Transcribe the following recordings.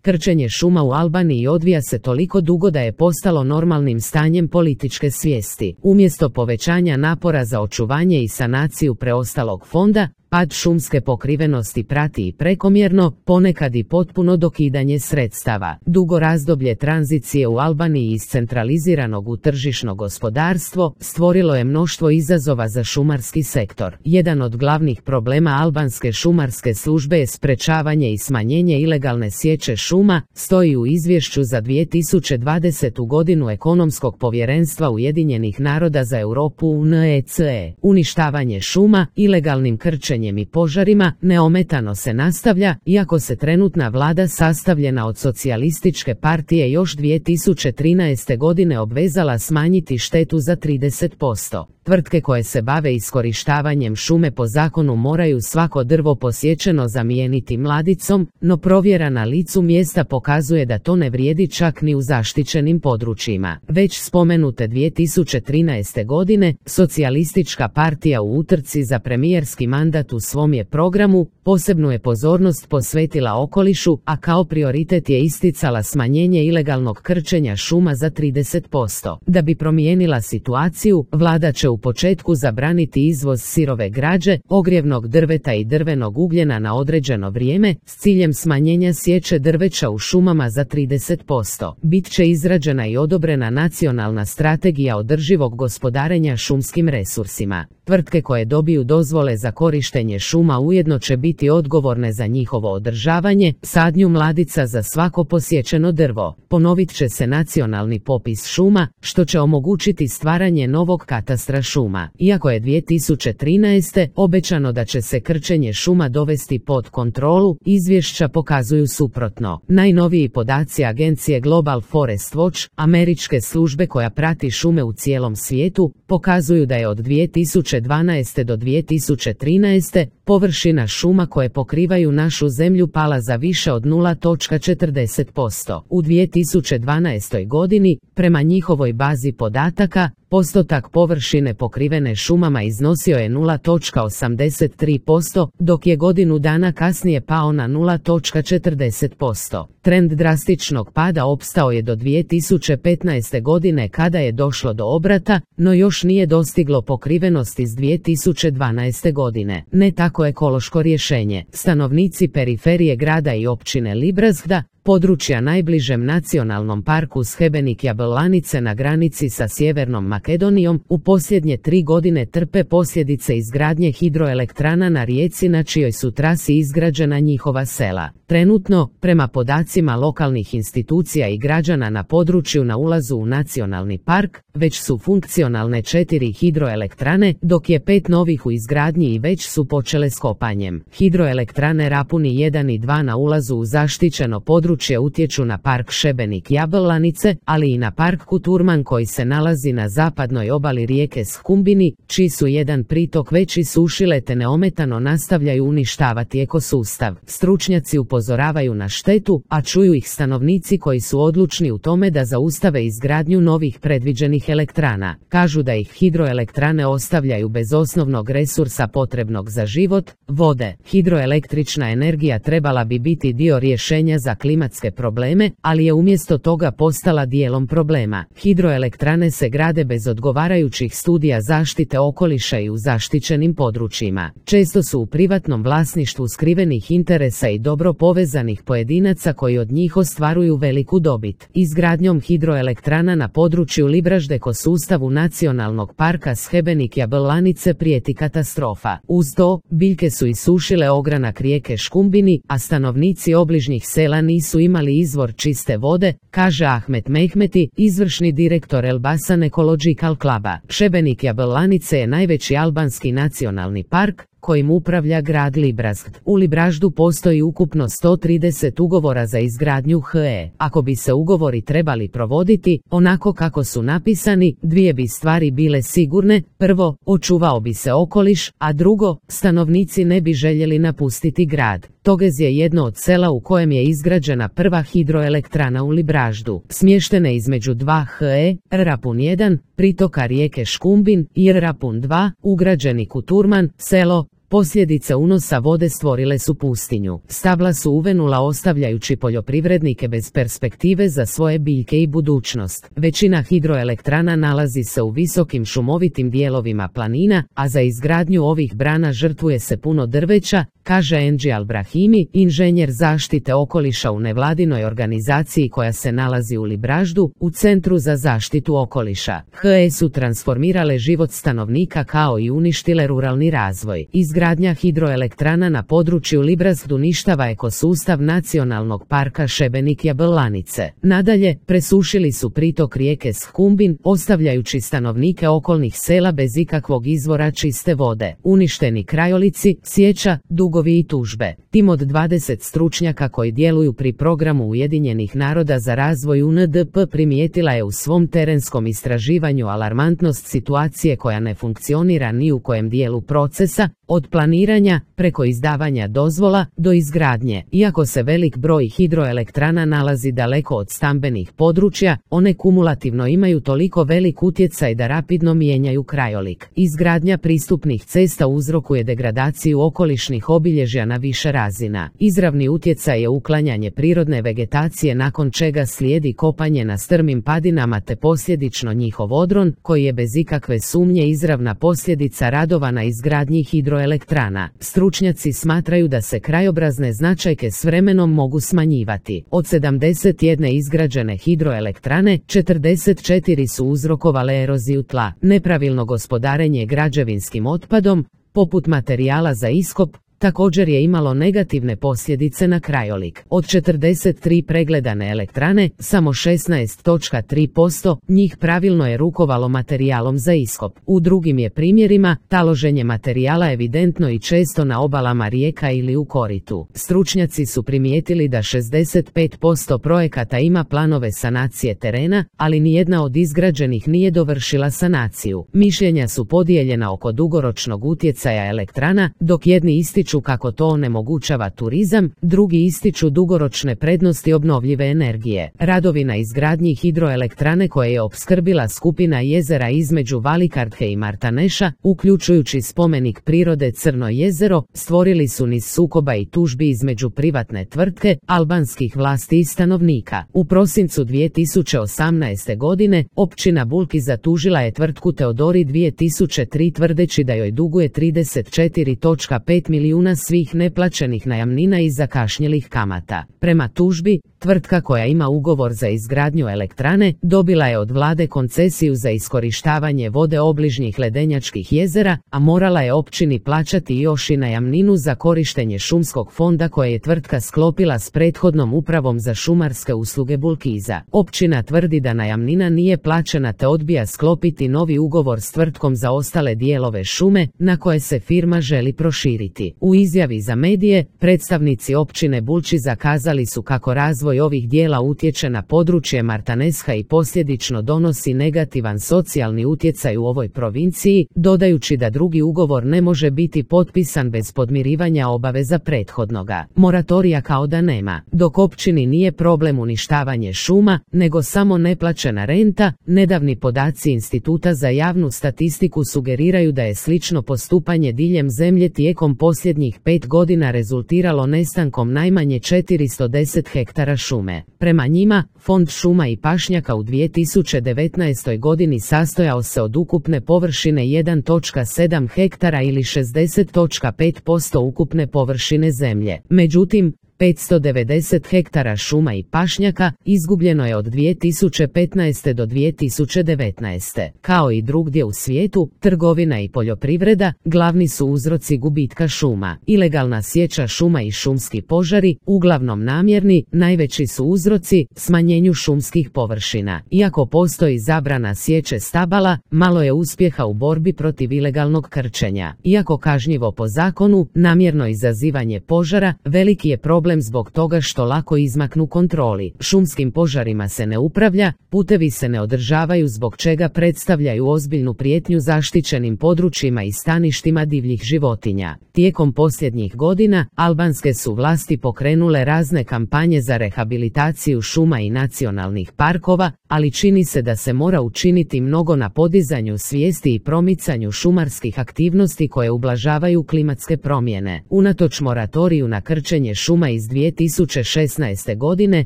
Krčenje šuma u Albaniji odvija se toliko dugo da je postalo normalnim stanjem političke svijesti. Umjesto povećanja napora za očuvanje i sanaciju preostalog fonda, pad šumske pokrivenosti prati i prekomjerno, ponekad i potpuno dokidanje sredstava. Dugo razdoblje tranzicije u Albaniji iz centraliziranog u tržišno gospodarstvo stvorilo je mnoštvo izazova za šumarski sektor. Jedan od glavnih problema albanske šumarske službe je sprečavanje i smanjenje ilegalne sječe šuma, stoji u izvješću za 2020. godinu Ekonomskog povjerenstva Ujedinjenih naroda za Europu UNECE. Uništavanje šuma, ilegalnim krčenjem i požarima neometano se nastavlja, iako se trenutna vlada sastavljena od socijalističke partije još 2013. godine obvezala smanjiti štetu za 30%. Tvrtke koje se bave iskorištavanjem šume po zakonu moraju svako drvo posječeno zamijeniti mladicom, no provjera na licu mjesta pokazuje da to ne vrijedi čak ni u zaštićenim područjima. Već spomenute 2013. godine, socijalistička partija u utrci za premijerski mandat u svom je programu posebnu je pozornost posvetila okolišu, a kao prioritet je isticala smanjenje ilegalnog krčenja šuma za 30%. Da bi promijenila situaciju, vlada će u početku zabraniti izvoz sirove građe, ogrjevnog drveta i drvenog ugljena na određeno vrijeme, s ciljem smanjenja sječe drveća u šumama za 30%. Bit će izrađena i odobrena nacionalna strategija održivog gospodarenja šumskim resursima. Tvrtke koje dobiju dozvole za korištenje šuma ujedno će biti odgovorne za njihovo održavanje, sadnju mladica za svako posječeno drvo. Ponovit će se nacionalni popis šuma, što će omogućiti stvaranje novog katastra šuma. Iako je 2013. obećano da će se krčenje šuma dovesti pod kontrolu, izvješća pokazuju suprotno. Najnoviji podaci agencije Global Forest Watch, američke službe koja prati šume u cijelom svijetu, pokazuju da je od 2012. do 2013. površina šuma koje pokrivaju našu zemlju pala za više od 0,40%. U 2012. godini, prema njihovoj bazi podataka, postotak površine pokrivene šumama iznosio je 0,83%, dok je godinu dana kasnije pao na 0,40%. Trend drastičnog pada opstao je do 2015. godine kada je došlo do obrata, no još nije dostiglo pokrivenost iz 2012. godine. Ne tako ekološko rješenje. Stanovnici periferije grada i općine Librazhda, područja najbližem nacionalnom parku Schebenik Jablanice na granici sa Sjevernom Makedonijom, u posljednje 3 godine trpe posljedice izgradnje hidroelektrana na rijeci na čijoj su trasi izgrađena njihova sela. Trenutno, prema podacima lokalnih institucija i građana na području na ulazu u nacionalni park, već su funkcionalne 4 hidroelektrane, dok je 5 novih u izgradnji i već su počele s kopanjem. Hidroelektrane Rapuni 1 i 2 na ulazu u zaštićeno područje utječu na park Šebenik Jablanice, ali i na park Kuturman koji se nalazi na zapadnoj obali rijeke Skumbini, čiji su jedan pritok već isušile te neometano nastavljaju uništavati ekosustav. Stručnjaci upozoravaju na štetu, a čuju ih stanovnici koji su odlučni u tome da zaustave izgradnju novih predviđenih elektrana. Kažu da ih hidroelektrane ostavljaju bez osnovnog resursa potrebnog za život, vode. Hidroelektrična energija trebala bi biti dio rješenja za klimatske probleme, ali je umjesto toga postala dijelom problema. Hidroelektrane se grade bez odgovarajućih studija zaštite okoliša i u zaštićenim područjima. Često su u privatnom vlasništvu skrivenih interesa i dobro povezanih pojedinaca koji od njih ostvaruju veliku dobit. Izgradnjom hidroelektrana na području Librazhde ekosustavu nacionalnog parka Schebenik Jablanice prijeti katastrofa. Uz to, biljke su isušile ogranak rijeke Škumbini, a stanovnici obližnjih sela nisu imali izvor čiste vode, kaže Ahmet Mehmeti, izvršni direktor Elbasan Ecological Cluba. Šebenik Jablanice je najveći albanski nacionalni park, kojim upravlja grad Librazhd. U Librazhdu postoji ukupno 130 ugovora za izgradnju HE. Ako bi se ugovori trebali provoditi onako kako su napisani, dvije bi stvari bile sigurne: prvo, očuvao bi se okoliš, a drugo, stanovnici ne bi željeli napustiti grad. Togez je jedno od sela u kojem je izgrađena prva hidroelektrana u Librazhdu. Smještene između dva HE, Rapun 1, pritoka rijeke Škumbin, i Rapun 2, ugrađeni Kuturman, selo, Posljedice unosa vode stvorile su pustinju. Stabla su uvenula ostavljajući poljoprivrednike bez perspektive za svoje biljke i budućnost. Većina hidroelektrana nalazi se u visokim šumovitim dijelovima planina, a za izgradnju ovih brana žrtvuje se puno drveća, kaže Enđi Al-Brahimi, inženjer zaštite okoliša u nevladinoj organizaciji koja se nalazi u Libraždu, u Centru za zaštitu okoliša. HE su transformirale život stanovnika kao i uništile ruralni razvoj. Izgradnja hidroelektrana na području Librazdu uništava ekosustav nacionalnog parka Šebenik-Jablanice. Nadalje, presušili su pritok rijeke Skumbin, ostavljajući stanovnike okolnih sela bez ikakvog izvora čiste vode. Uništeni krajolici, sjeća, dugovi i tužbe. Tim od 20 stručnjaka koji djeluju pri programu Ujedinjenih naroda za razvoj UNDP primijetila je u svom terenskom istraživanju alarmantnost situacije koja ne funkcionira ni u kojem dijelu procesa, od planiranja, preko izdavanja dozvola, do izgradnje. Iako se velik broj hidroelektrana nalazi daleko od stambenih područja, one kumulativno imaju toliko velik utjecaj da rapidno mijenjaju krajolik. Izgradnja pristupnih cesta uzrokuje degradaciju okolišnih obilježja na više razina. Izravni utjecaj je uklanjanje prirodne vegetacije, nakon čega slijedi kopanje na strmim padinama te posljedično njihov odron, koji je bez ikakve sumnje izravna posljedica radova na izgradnji hidroelektrana. Stručnjaci smatraju da se krajobrazne značajke s vremenom mogu smanjivati. Od 71 izgrađene hidroelektrane, 44 su uzrokovale eroziju tla, nepravilno gospodarenje građevinskim otpadom, poput materijala za iskop, također je imalo negativne posljedice na krajolik. Od 43 pregledane elektrane, samo 16,3% njih pravilno je rukovalo materijalom za iskop. U drugim je primjerima taloženje materijala evidentno i često na obalama rijeka ili u koritu. Stručnjaci su primijetili da 65% projekata ima planove sanacije terena, ali nijedna od izgrađenih nije dovršila sanaciju. Mišljenja su podijeljena oko dugoročnog utjecaja elektrana, dok jedni ističu kako to onemogućava turizam, drugi ističu dugoročne prednosti obnovljive energije. Radovi na izgradnji hidroelektrane koje je opskrbila skupina jezera između Valikardhe i Martaneša, uključujući spomenik prirode Crno jezero, stvorili su niz sukoba i tužbi između privatne tvrtke, albanskih vlasti i stanovnika. U prosincu 2018. godine, općina Bulki zatužila je tvrtku Teodori 2003 tvrdeći da joj duguje 34,5 milijuna svih neplaćenih najamnina i zakašnjelih kamata. Prema tužbi, tvrtka koja ima ugovor za izgradnju elektrane dobila je od vlade koncesiju za iskorištavanje vode obližnjih ledenjačkih jezera, a morala je općini plaćati još i najamninu za korištenje šumskog fonda koje je tvrtka sklopila s prethodnom upravom za šumarske usluge Bulkiza. Općina tvrdi da najamnina nije plaćena te odbija sklopiti novi ugovor s tvrtkom za ostale dijelove šume, na koje se firma želi proširiti. U izjavi za medije, predstavnici općine Bulči zakazali su kako razvoj ovih dijela utječe na područje Martanesha i posljedično donosi negativan socijalni utjecaj u ovoj provinciji, dodajući da drugi ugovor ne može biti potpisan bez podmirivanja obaveza prethodnoga. Moratorija kao da nema. Dok općini nije problem uništavanje šuma, nego samo neplaćena renta, nedavni podaci Instituta za javnu statistiku sugeriraju da je slično postupanje diljem zemlje tijekom posljednjih 5 godina rezultiralo nestankom najmanje 410 hektara šume. Prema njima, Fond šuma i pašnjaka u 2019. godini sastojao se od ukupne površine 1,7 hektara ili 60,5% ukupne površine zemlje. Međutim, 590 hektara šuma i pašnjaka izgubljeno je od 2015. do 2019. Kao i drugdje u svijetu, trgovina i poljoprivreda glavni su uzroci gubitka šuma. Ilegalna sječa šuma i šumski požari, uglavnom namjerni, najveći su uzroci smanjenju šumskih površina. Iako postoji zabrana sječe stabala, malo je uspjeha u borbi protiv ilegalnog krčenja. Iako kažnjivo po zakonu, namjerno izazivanje požara veliki je problem problem zbog toga što lako izmaknu kontroli. Šumskim požarima se ne upravlja, putevi se ne održavaju zbog čega predstavljaju ozbiljnu prijetnju zaštićenim područjima i staništima divljih životinja. Tijekom posljednjih godina, albanske su vlasti pokrenule razne kampanje za rehabilitaciju šuma i nacionalnih parkova, ali čini se da se mora učiniti mnogo na podizanju svijesti i promicanju šumarskih aktivnosti koje ublažavaju klimatske promjene. Unatoč moratoriju na krčenje šuma iz 2016. godine,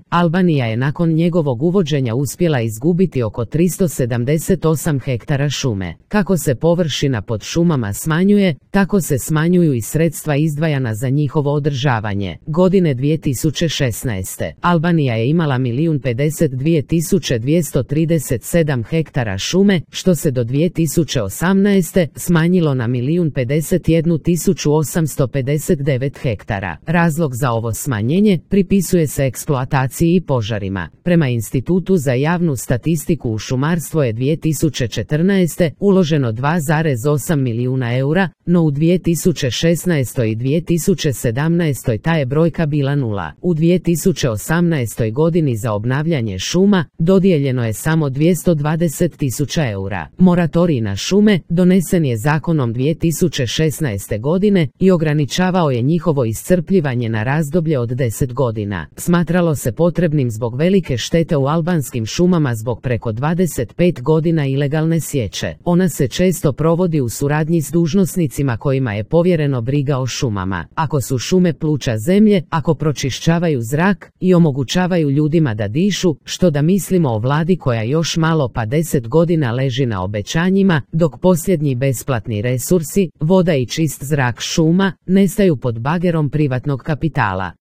Albanija je nakon njegovog uvođenja uspjela izgubiti oko 378 hektara šume. Kako se površina pod šumama smanjuje, tako se smanjuju i sredstva izdvajana za njihovo održavanje. Godine 2016. Albanija je imala 1.052.237 hektara šume, što se do 2018. smanjilo na 1.051.859 hektara. Razlog za ovo smanjenje pripisuje se eksploataciji i požarima. Prema Institutu za javnu statistiku u šumarstvo je 2014. uloženo 2,8 milijuna eura, no u 2016. i 2017. ta je brojka bila nula. U 2018. godini za obnavljanje šuma dodijeljeno je samo 220.000 eura. Moratorij na šume donesen je zakonom 2016. godine i ograničavao je njihovo iscrpljivanje na razdoblje od 10 godina. Smatralo se potrebnim zbog velike štete u albanskim šumama zbog preko 25 godina ilegalne sječe. Ona se često provodi u suradnji s dužnosnicima kojima je povjereno briga o šumama. Ako su šume pluća zemlje, ako pročišćavaju zrak i omogućavaju ljudima da dišu, što da mislimo o vladi koja još malo pa 10 godina leži na obećanjima, dok posljednji besplatni resursi, voda i čist zrak šuma, nestaju pod bagerom privatnog kapitala.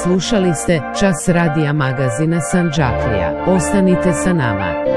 Slušali ste Čas radija magazina Sandžaklija. Ostanite sa nama.